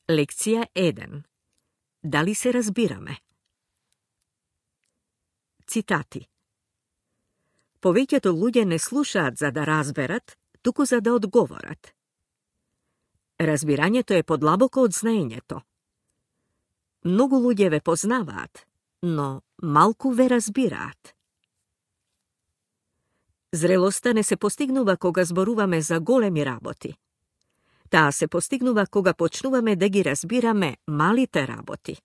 Лекција 1. Дали се разбираме? Цитати. Повеќето луѓе не слушаат за да разберат, туку за да одговорат. Разбирањето е подлабоко од знаењето. Многу луѓе ве познаваат, но малку ве разбираат. Зрелоста не се постигнува кога зборуваме за големи работи. Таа се постигнува кога почнуваме да ги разбираме малите работи.